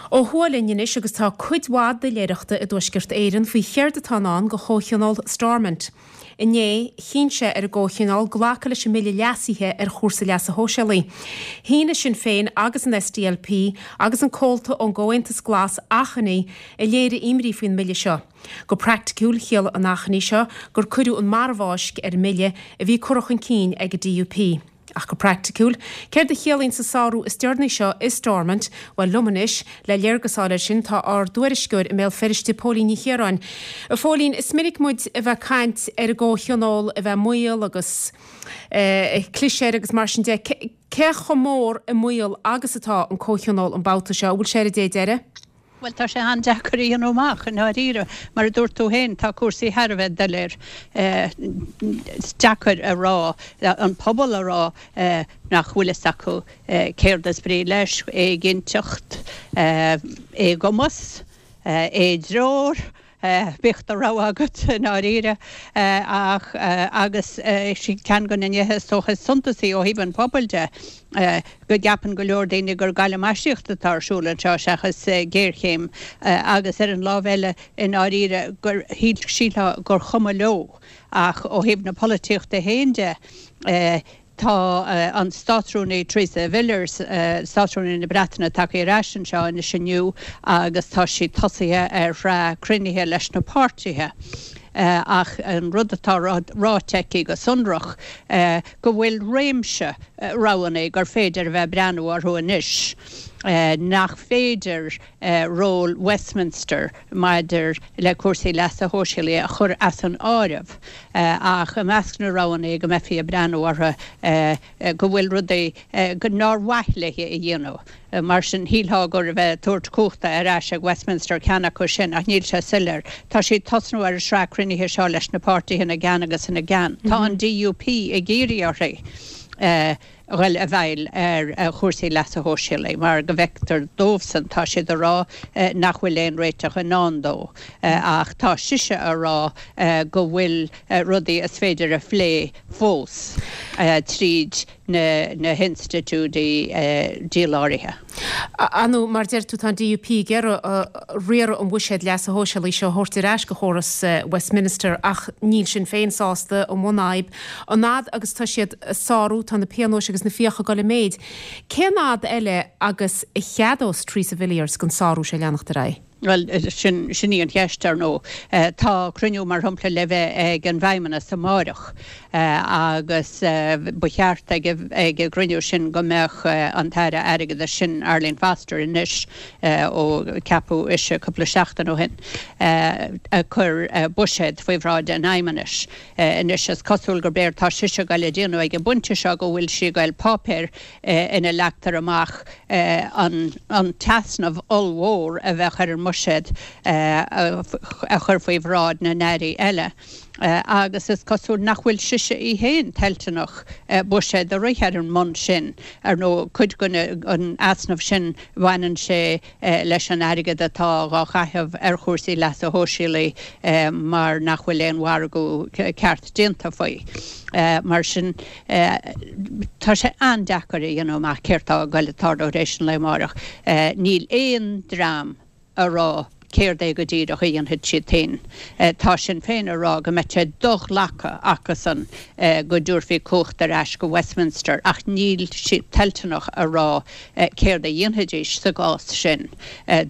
Ó thuaidh linn anois agus tá cuid mhaith doiléireachta i dTuaisceart Éireann faoi chéard atá i ndán do Chomhthionól Stormont. Inné, chinn sé ar an gComhthionól glacadh leis an mbille leasaithe ar chúrsaí leasa shóisialaigh. Shínigh Sinn Féin agus an SDLP agus an comhalta ón gComhaontas Glas achainí a léirigh imní faoin mbille seo. Go praiticiúil, chiallaigh an achainí seo gur cuireadh an marbhfháisc ar an mbille a bhí curtha chun cinn ag an DUP. Ach go praiticiúil, céard a chiallaíonns an sárú is deireanaí seo i Stormont? Bhuel, liom anois, le léargas a fháil air sin, tá ár dtuairisceoir i mBéal Feirste, Póilín Ní Chiaráin. A Phóilín, is minic muid a bheith ag caint ar an gComhthionól a bheith i mbaol agus ag cliseadh air agus mar sin de. Cé chomh mór i mbaol agus atá an Comhthionól an babhta seo? An bhfuil sé ar an dé deiridh? Bhuel, tá sé an-deacair a dhéanamh amach, i ndáiríre. Mar a dúirt tú féin, tá cúrsaí thar a bheith doiléir. Is deacair a rá, an pobal a rá nach bhfuil fhios acu céard is brí leis, éiginnteacht, éagumas, éidreoir. Bíodh do rogha agat, i ndáiríre. Ach, agus sin ceann de na nithe is dócha is suntasaí ó thaobh an phobail de, go gceapann go leor daoine gur galamaisíocht atá ar siúl anseo seachas géarchéim agus ar an lámh eile, i ndáiríre, gur shílfeá gur chuma leo. Ach ó thaobh na polaitíochta féin de, Tá an Státrúnaí Theresa Villiers, Státrúnaí na Breataine, tagtha ar ais anseo anois inniu agus tá sí tosaithe ar shraith cruinnithe leis na páirtithe. Ach an rud atá ráite aici go sonrach, go bhfuil réimse roghanna gur féidir a bheith ag breathnú orthu anois, nach féidir ról Westminster maidir le cúrsaí leasa shóisialaigh a chur as an áireamh ach i measc na roghanna go mbeifí ag breathnú orthu go bhfuil rudaí nár mhaith léi a dhéanamh. Mar sin, shílfeá gur a bheith ag tabhairt cumhachta ar ais ag Westminster ceann acu sin ach níl sé soiléir. Tá sí ag tosnú ar an sraith cruinnithe seo leis na páirtithe ina gceann agus ina gceann. Tá an DUP ag iarraidh uirthi. dhul i bhfeighil ar chúrsaí leasa shóisialaigh mar go bhfeictear dóibhsan, tá siad a rá nach bhfuil aon réiteach i ndán dó ach tá sise a rá go bhfuil rudaí is féidir a phlé fós tríd na hinstitiúidí díláraithe. Ar ndóigh, mar a deir tú, tá an DUP ag iarraidh riaradh an bhuiséid leasa shóisialaigh seo a thabhairt ar ais go chóras Westminster ach níl Sinn Féin sásta, an bhunfhadhb. An fhad agus tá siad ag sárú, tá na pionóis agus na fiacha ag dul i méid. Cén fhad eile agus a cheadós Theresa Villiers don sárú seo leanacht ar aghaidh? Bhuel, sin, sin í an cheist, ar ndóigh. Tá cruinniú, mar shampla, le bheith ag an bhFeidhmeannas amáireach agus ba cheart ag an gcruinniú sin go mbeadh an tAire Airgeadais, sin Arlene Foster anois ó ceapadh ise cúpla seachtain ó shin, ag cur buiséad faoi bhráid an Fheidhmeannais. Anois is cosúil gurb éard tá sise ag goil a déanamh ag an bpointe seo go bhfuil sí ag goil páipéar ina leagtar amach an t-easnamh ollmhór a bheadh ar an mbuiséad a chur faoi bhráid na n-airí eile agus is cosúil nach bhfuil sise í féin toilteanach buiséad a rith ar an mbonn sin. Ar ndóigh, cuid den easnamh sin baineann sé leis an airgead atá dhá chaitheamh ar chúrsaí leasa shóisialaigh mar nach bhfuil aon mhargadh ceart déanta faoi. Mar sin, tá sé an-deacair a dhéanamh amach céard tá ag goil ag tarlú tar éis an lae amáireach. Níl aon dream a rá céard é go díreach a dhéanfaidh siad féin. Tá Sinn Féin a rá go mbeadh sé do-ghlactha acusan go dtabharfaí cumhacht ar ais go Westminster ach níl siad toilteanach a rá céard a dhéanfaidís sa gcás sin.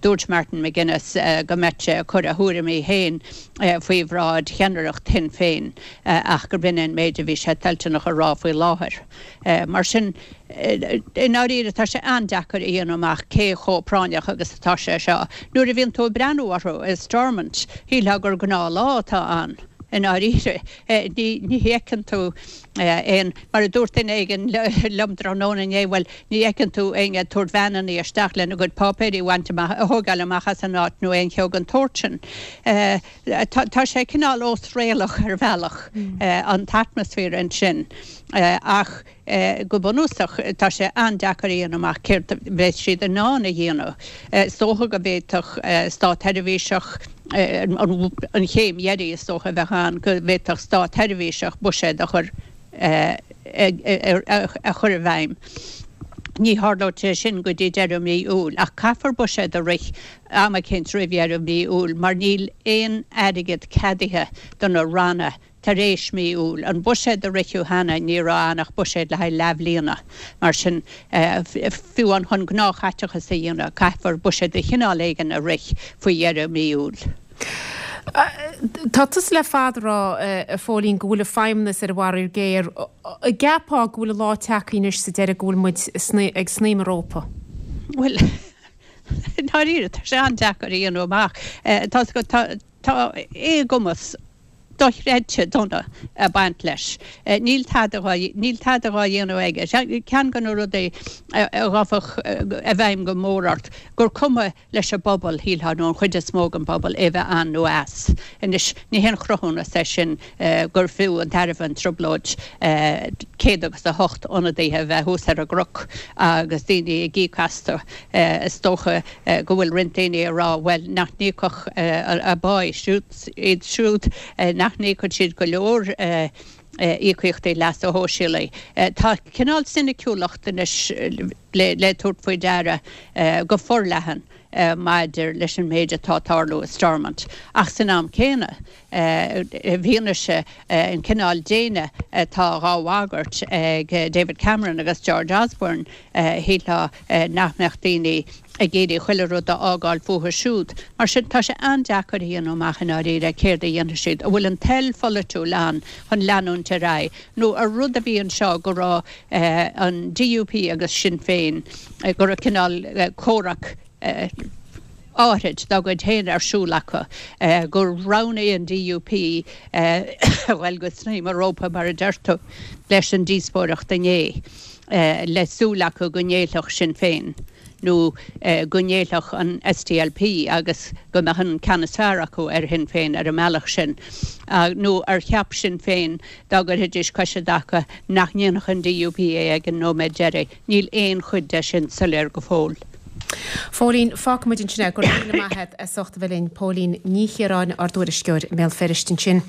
Dúirt Martin McGuinness go mbeadh sé ag cur a thuairimí féin faoi bhráid cheannaireacht Shinn Féin ach gurb in é an méid a bhí sé toilteanach a rá faoi láthair. Mar sin, i ndáiríre, tá sé an-deacair a dhéanamh amach cé chomh práinneach agus atá sé seo. Nuair a bhíonn tú ag breathnú orthu i Stormont, shílfeá gur gnáthlá atá ann. I ndáiríre, ní fheiceann tú aon, mar a dúirt duine éigin liom tráthnóna inné, bhuel, ní fheiceann tú éinne ag tabhairt veaineanna isteach lena gcuid páipéirí a bhaint amach, a thógáil amach as an áit nó aon cheo den tsórt sin. Tá sé cineál ósréalach ar bhealach, an t-atmaisféar ansin, ach go bunúsach tá sé an-deacair a dhéanamh amach céard a bheas siad in ann a dhéanamh. Is dócha go bhféadfadh státsheirbhíseach, an chéim dheiridh is dócha a bheadh ann, go bhféadfadh státsheirbhíseach buiséad a chur a chur i bhfeidhm. Ní tharlóidh sé sin go dtí deireadh mí Iúil, ach caithfear buiséad a rith am eicínt roimh dheireadh mí Iúil mar níl aon airgead ceadaithe do na ranna tar éis mí Iúil. An buiséad a ritheadh cheana, ní raibh ann ach buiséad le haghaidh leathbhliana. Mar sin, fiú amháin chun gnáthchaiteachas a dhéanamh, caithfear buiséad de chineál éigin a rith faoi dheireadh mí Iúil. Tá tusa le fada ag rá, a Phóilín, go bhfuil an Feidhmeannas ar an bhfaraor géar. An gceapfá go bhfuil an lá tagtha anois sa deireadh go bhfuil muid ag snaidhm an rópa? Bhuel, i ndáiríre, tá sé an-deacair a dhéanamh amach. Tá, tá éagumas dochreidte dona ag baint leis. Níl tada dhá, níl tada dhá dhéanamh aige. Ceann de na rudaí a ghabhfadh i bhfeidhm go mór ort, gur cuma leis an bpobal, shílfeá, nó an chuid is mó den bpobal, é bheith ann nó as. Anois, ní haon chruthúnas é sin gur fiú an tairbhe an trioblóid 108 ionadaithe a bheith thuas ar an gcnoc agus daoine ag íoc astu. Is dócha go bhfuil roinnt daoine ag rá, bhuel, nach n-íocfadh a bpá iad siúd, nach n-íocann siad go leor íocaíochtaí leasa shóisialaigh. Tá cineál soiniciúlacht anois le tabhairt faoi deara go forleathan maidir leis an méid atá ag tarlú i Stormont. Ach san am céanna, i bhfianaise an cineál déine atá dhá bhagairt ag David Cameron agus George Osborne, shílfeá nach mbeadh daoine ag iarraidh chuile rud a fhágáil fúthu siúd. Mar sin, tá sé an-deacair a dhéanamh amach i ndáiríre céard a dhéanfaidh siad. An bhfuil an toil pholaitiúil ann chun leanúint ar aghaidh, nó ar rud a bhí anseo go raibh an DUP agus Sinn Féin, go raibh cineál comhrac áithrid dá gcuid féin ar siúl acu, gur roghnaigh an DUP a dhul go snaidhm an rópa, mar a deir tú, leis an díospóireacht inné, le súil acu go ngéillfeadh Sinn Féin. nó go ngéillfeadh an SDLP agus go mbeadh an ceann is fearr acu ar Shinn Féin ar an mbealach sin, nó ar cheap Sinn Féin dá gcuirfidís cois i dtaca nach ndéanfadh an DUP é ag an nóiméad deiridh. Níl aon chuid de sin soiléir go fóill. Phóilín, fágfaidh muid ansin é. Go raibh míle maith agat as ucht a bheith linn. Póilín Ní Chiaráin, ár dtuairisceoir i mBéal Feirste ansin.